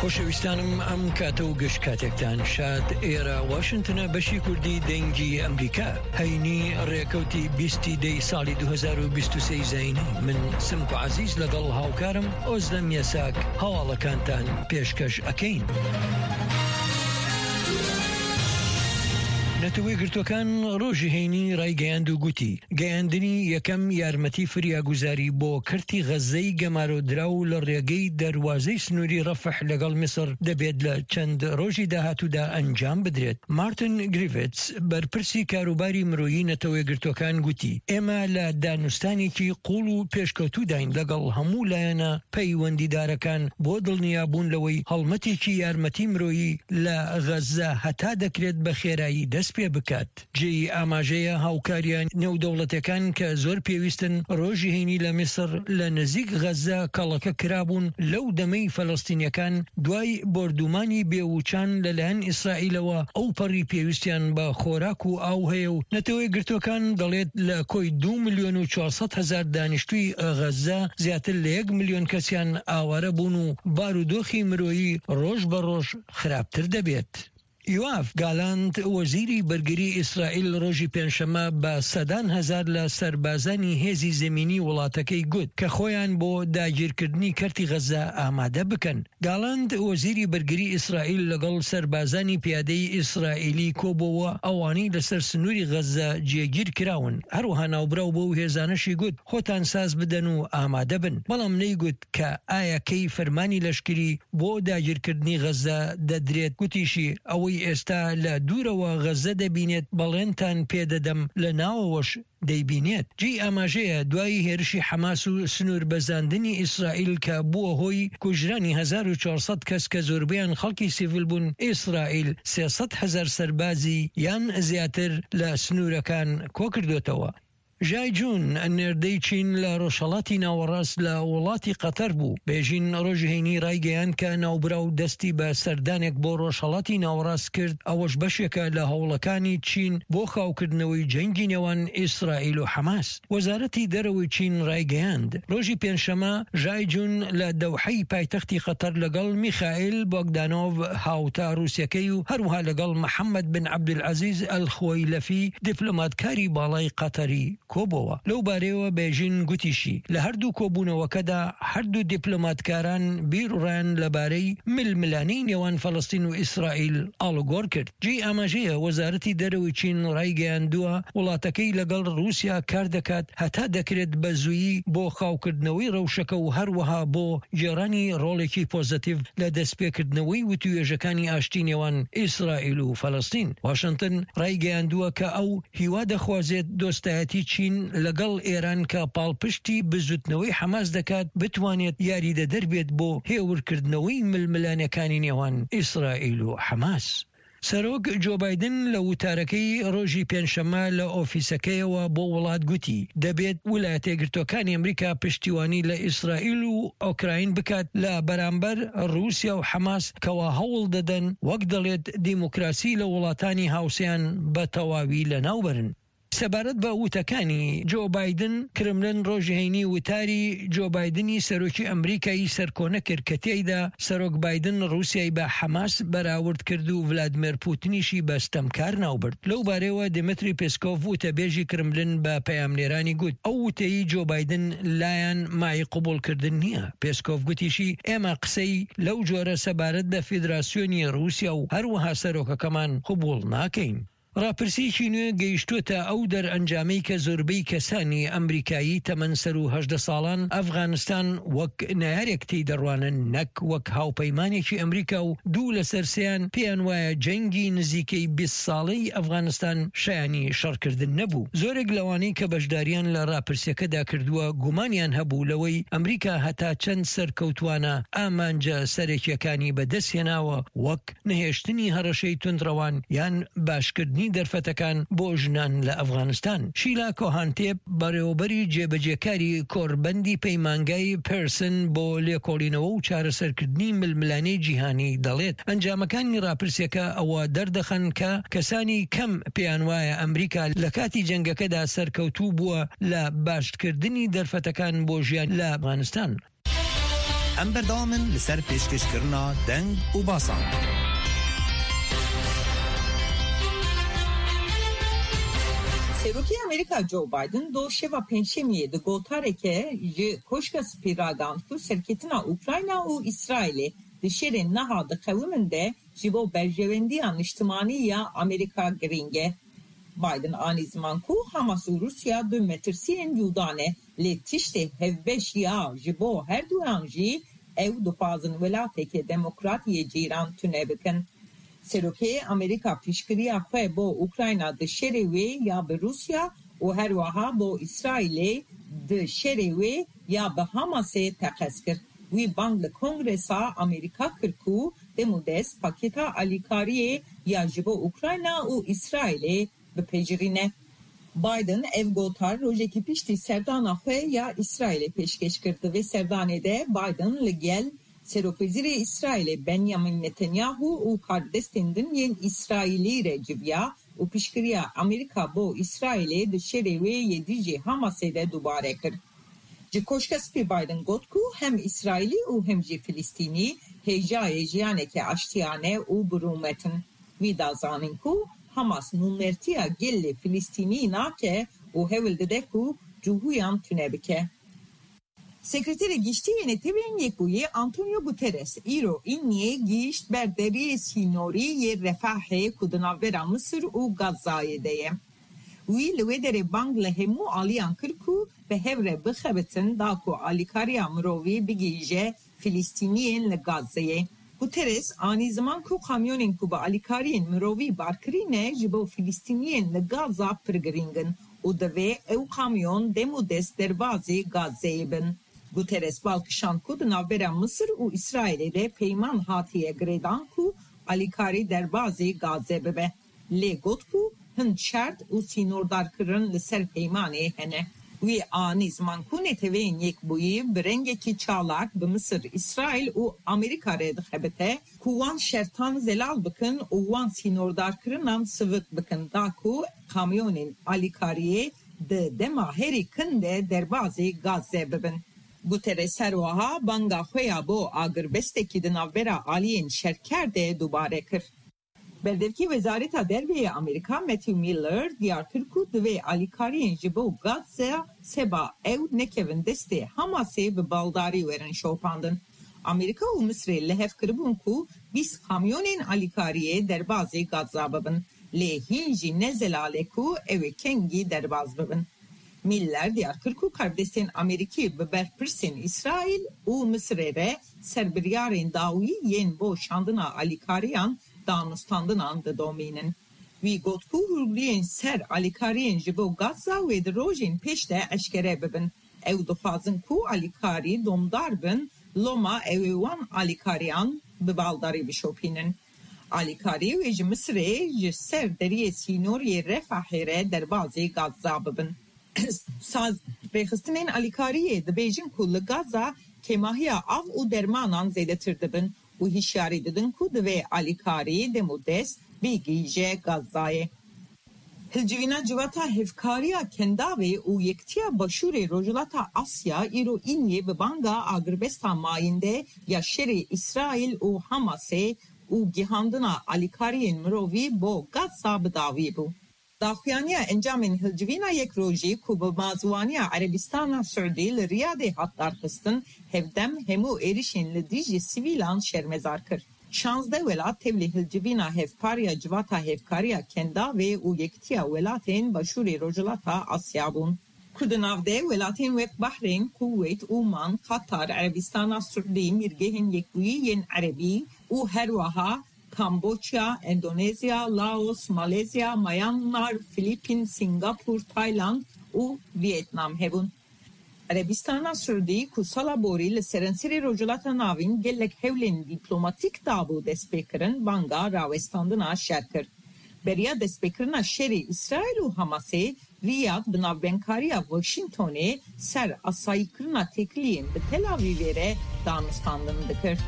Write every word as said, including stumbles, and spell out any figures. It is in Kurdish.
خۆشەویستانم، ئەم کاتە و گشت کاتێکتان شاد. ئێرە واشنتنە، بەشی کوردی دەنگی ئەمریکا. هەینی، ڕێکەوتی بیستی دەی ساڵی دوو هەزار و بیست و سێ زینی. من سمکۆ عەزیز لەگەڵ هاوکارم ئۆزلەم یەساک هەواڵەکانتان پێشکەش ئەکەین. نەتەوەی گرتوەکان ڕۆژی هەینی ڕایگەیاند و گوتی، گەیاندنی یەکەم یارمەتی فریاگوزاری بۆ کەرتی غەززەی گەمارۆدراو لە ڕێگەی دەروازەی سنووری ڕەفح لەگەڵ میسر دەبێت لە چەند ڕۆژی داهاتوودا ئەنجام بدرێت. مارتن گریڤتس، بەرپرسی کاروباری مرۆیی نەتەوەی گرتوەکان، گوتی، ئێمە لە دانوستانێکی قوڵ و پێشکەوتووداین لەگەڵ هەموو لایەنە پەیوەندیدارەکان بۆ دڵنیابوون لەوەی هەڵمەتێکی یارمەتی مرۆیی لە غەززە هەتا دەکرێت بە خێرایی دەست پێ بکات. جێی ئاماژەیە، هاوکاریان نێودەوڵەتەکان کە زۆر پێویستن، ڕۆژی هەینی لە میسر لە نزیک غەززە کەڵەکە کرابوون. لەو دەمەی فەلەستینیەکان دوای بۆردومانی بێوچان لەلایەن ئیسرائیلەوە ئەو پەڕی پێویستیان بە خۆراک و ئاو هەیە و نەتەوەی گرتوەکان دەڵێت لە کۆی دوو ملیۆن و چوارسەد هەزار دانیشتووی غەززە زیاتر لە یەک ملیۆن کەسیان ئاوارە بوون و بارودۆخی مرۆیی ڕۆژ بە ڕۆژ خراپتر دەبێت. یوآف گالانت، وەزیری بەرگری ئیسرائیل، ڕۆژی پێنجشەممە بە سەدان هەزار لە سەربازانی هێزی زەمینی وڵاتەکەی گوت کە خۆیان بۆ داگیرکردنی کەرتی غەززە ئامادە بکەن. گالانت، وەزیری بەرگری ئیسرائیل، لەگەڵ سەربازانی پیادەی ئیسرائیلی کۆبۆوە ئەوانەی لەسەر سنووری غەززە جێگیر کراون. هەروەها ناوبراو بۆ هێزانەشی گوت، خۆتان ساز بدەن و ئامادە بن. بەڵام نەیگوت کە ئایا کەی فەرمانی لەشکری بۆ داگیرکردنی غەززە دەدرێت. گوتیشی، ئەوەی ئێستا لە دوورەوە غەززە دەبینێت، بەڵێنتان پێدەدەم، لە ناوەوەش دەیبینێت. جێی ئاماژەیە، دوای هێرشی حەماس و سنوور بەزاندنی ئیسرائیل کە بووە هۆی کوژرانی هەزار و چوارسەد کەس کە زۆربەیان خەڵکی سیڤیل بوون، ئیسرائیل سێسەد هەزار سەربازی یان زیاتر لە سنوورەکان کۆکردوتەوە. ژای جون، نێردەی چین لە ڕۆژهەڵاتی ناوەڕاست، لە وڵاتی قەتەر بوو. بێژین ڕۆژی هەینی ڕایگەیاند کە ناوبراو دەستی بە سەردانێک بۆ ڕۆژهەڵاتی ناوەڕاست کرد، ئەوەش بەشێکە لە هەوڵەکانی چین بۆ خاوکردنەوەی جەنگی نێوان ئیسرائیل و حەماس. وەزارەتی دەرەوەی چین ڕایگەیاند، ڕۆژی پێنجشەممە ژای جون لە دەوحەی پایتەختی قەتەر لەگەڵ میخائیل بۆگدانۆڤ، هاوتا ڕووسیەکەی، و هەروەها لەگەڵ محەممەد بن عەبدولعەزیز ئەلخوەیلەفی، دیپلۆماتکاری باڵای قەتەری، کۆبۆوە. لەو بارەیەوە بێژین گوتیشی، لە هەردوو کۆبوونەوەکەدا هەردوو دیپلۆماتکاران بیر و ڕایان لەبارەی ململانەی نێوان فەڵەستین و ئیسرائیل ئاڵوگۆڕ کرد. جێی ئاماژەیە، وەزارەتی دەرەوەی چین ڕایگەیاندووە، وڵاتەکەی لەگەڵ ڕووسیا کار دەکات هەتا دەکرێت بە زوویی بۆ خاوکردنەوەی ڕەوشەکە و هەروەها بۆ گێڕانی ڕۆڵێکی پۆزەتیڤ لە دەستپێکردنەوەی وتووێژەکانی ئاشتی نێوان ئیسرائیل و فەلەستین. واشنتن ڕایگەیاندووە کە ئەو هیوا دەخوازێت دۆستایەتی چین لەگەڵ ئێران کە پاڵپشتی بزوتنەوەی حەماس دەکات، بتوانێت یاریدەدەر بێت بۆ هێورکردنەوەی ململانەکانی نێوان ئیسرائیل و حەماس. سەرۆک جۆ بایدن لە وتارەکەی ڕۆژی پێنجشەممە لە ئۆفیسەکەیەوە بۆ وڵات گوتی، دەبێت ویلایەتە یەکگرتووەکانی ئەمریکا پشتیوانی لە ئیسرائیل و ئۆکراین بکات لە بەرامبەر ڕووسیا و حەماس، کەوا هەوڵ دەدەن، وەک دەڵێت، دیموکراسی لە وڵاتانی هاوسێیان بە تەواوی لەناوبەرن. سەبارەت بە وتەکانی جۆ بایدن، کرملن ڕۆژی هەینی وتاری جۆ بایدنی سەرۆکی ئەمریکای سەرکۆنە کرد کە تێیدا سەرۆک بایدن ڕووسیای بە حەماس بەراورد کرد و ڤلادمێر پوتنیشی بە ستەمکار ناوبرد. لەو بارەیەوە دیمتری پێسکۆڤ، وتەبێژی کرملن، بە پەیامنێرانی گوت، ئەو وتەی جۆ بایدن لایەن مای قبوڵکردن نییە. پێسکۆڤ گوتیشی، ئێمە قسەی لەو جۆرە سەبارەت بە فیدراسیۆنی ڕووسیا و هەروەها سەرۆکەکەمان قبوڵ ناکەین. ڕاپرسیەکی نوێ گەیشتووەتە ئەو دەرئەنجامەی کە زۆربەی کەسانی ئەمریکایی تەمەن سەر و هەژدە ساڵان ئەفغانستان وەک نەیارێک تێی دەڕوانن، نەک وەک هاوپەیمانێکی ئەمریکا، و دوو لەسەر سێیان پێیان وایە جەنگی نزیکەی بیست ساڵەی ئەفغانستان شایانی شەڕکردن نەبوو. زۆرێک لەوانەی کە بەشداریان لە ڕاپرسیەکەدا کردووە گومانیان هەبوو لەوەی ئەمریکا هەتا چەند سەرکەوتوانە ئامانجە سەرەکیەکانی بەدەستهێناوە، وەک نەهێشتنی هەڕەشەی تونڕەوان یان باشکردنی دەرفەتەکان بۆ ژنان لە ئەفغانستان. شیلا کۆهانتێپ، بەڕێوەبەری جێبەجێکاری کۆربەندی پەیمانگای پێرسن بۆ لێکۆڵینەوە و چارەسەرکردنی ململانەی جیهانی، دەڵێت، ئەنجامەکانی ڕاپرسیەکە ئەوە دەردەخەن کە کەسانی کەم پێیان وایە ئەمریکا لە کاتی جەنگەکەدا سەرکەوتوو بووە لە باشکردنی دەرفەتەکان بۆ ژیان لە ئەفغانستان. Em berdewam in li ser pêşkêşkirina deng û basan. Serokê Amerîka Joe Biden do şeva Pêncşemiyê di gotareke ji Koşka Spî ragihand ku serketina Ukrayna û Îsraîlê di şerên niha diqewimin de ji bo berjewendiya niştimanî ya Amerîka girîng e. Biden anî ziman ku Hamas û Rûsya du metirsiyên cuda ne, lê tiştê hevbeş ya ji bo herduyan jî ew dixwazin welateke demokrat yê cîran tune bikin. Serokê Amerîka piştgiriya xwe bo Ukrayna di şerê wê ya bi Rûsya û herwiha bo Îsraîlê di şerê wê ya bi Hamasê teqez kir. Wî bang li Kongresa Amerîka kir ku demûdest pakêta alîkariyê ya ji bo Ukrayna û Îsraîlê bipejirîne. Biden ev gotar rojekî piştî serdana xwe ya Îsraîlê pêşkêş kir. Di vê serdanê de Biden li gel Serokwezîrê Îsraîlê Benjamin Netanyahu û karbidestên din yên Îsraîlî re civiya û piştgiriya Amerîka bo Îsraîlê di şerê wê yê dijî Hamasê de dubare kir. Ji Koşka Spî Biden got ku hem Îsraîlî û hem jî Filistînî hêjayê jiyaneke aştiyane û bi rûmet in. Wî da zanîn ku Hamas nûnertiya gelê Filistînî nake û hewl dide ku cihûyan tune bike. Sekreterê Giştî yê Netewên Yekbûyî Antonio Guterres îro Îniyê gihîşt ber deriyê sînorî yê Refahê ku di navbera Misir û Gazayê de ye. Wî li wê derê bang li hemû aliyan kir ku bi hev re bixebitin da ku alîkariya mirovî bigihîje Filistîniyên li Gazeyê. Guterres anî ziman ku kamyonên ku bi alîkariyên mirovî barkirî ne ji bo Filistîniyên li Gaza pir girîng in û divê ew kamyon dem û dest derbazî Gazeyê bin. Guterres bal kişand ku di navbera Misir û Îsraîlê de peyman hatiye girêdan ku alîkarî derbazî Gaze bibe. Lê got ku hin şert û sînordarkirin li ser peymanê hene. Wî anî ziman ku Neteweyên Yekbûyî bi rengekî çalak bi Misir, Îsraîl û Amerîka re dixebite ku wan şertan zelal bikin û wan sînordarkirinan sivik bikin da ku kamyonên alîkariyê di dema herî kin de derbazî Gaze bibin. Guterres her wiha banga xwe ya bo agirbestekî di navbera aliyên şerker de dubare kir. Berdevkê Wezareta Derve yê Amerîka Matthew Miller diyar kir ku divê alîkariyên ji bo Gaza seba ew nekevin destê Hamasê bi baldarî werin şopandin. Amerîka û Misrê li hev kiribûn ku bîst kamyonên alîkariyê derbazê Gaza bibin, lê hîn jî ne zelal e ku ew ê kengî derbaz bibin. Miller diyar kir ku karbidestên Amerîkî bi berpirsên Îsraîl û Misirê re ser biryarên dawî yên bo şandina alîkariyan danûstandinan didomînin. Wî got ku hûrgiliyên ser alîkariyên ji bo Gaza wê di rojên pêş de eşkere bibin. Ew dixwazin ku alîkarî domdar bin, loma ew ê wan alîkariyan bi baldarî bişopînin. Alîkarî wê ji Misirê ji ser deriyê sînoriyê Refahê re derbazî Gaza bibin. Saz, rêxistinên alîkariyê dibêjin ku li Gaza kêmahiya av û dermanan zêdetir dibin û hişyarî didin ku divê alîkarî dem û dest bigihîje Gazayê. Hilcivîna Civata Hevkariya Kendavê û Yekitiya Başûrê Rojhilata Asya îro Îniyê bi banga agirbesta mayînde ya şerê Îsraîl û Hamasê û gihandina alîkariyên mirovî bo Gaza bi dawî bû. Daxuyaniya encamên hilcivîna yek rojî ku bi mazwaniya Erebistana Siûdî li Riyadê hat darxistin, hevdem hemû êrişên li dijî sivîlan şermezar kir. Şazdeh welat tevlî hilcivîna hevpar ya Civata Hevkariya Kendavê û Yekitiya Welatên Başûrê Rojhilata Asya bûn. Ku di nav de welatên wek Bahreyn, Kuweyt, Oman, Qatar, Erebistana Siûdî, Mîrgehên Yekbûyî yên Erebî û herwiha Kamboçya, Endonezya, Laos, Malezya, Myanmar, Filîpîn, Singapûr, Tayland û Vietnam hebûn. Erebistana Siûdî ku sala borî li serenserê Rojhilata Navîn gelek hewlên dîplomatîk dabû destpêkirin, banga rawestandina şer kir. Beriya destpêkirina şerê Îsraîl û Hamasê, Riyad bi navbenkariya Washingtonê ser asayîkirina têkiliyên bi Tel Avîvê re danûstandin dikir.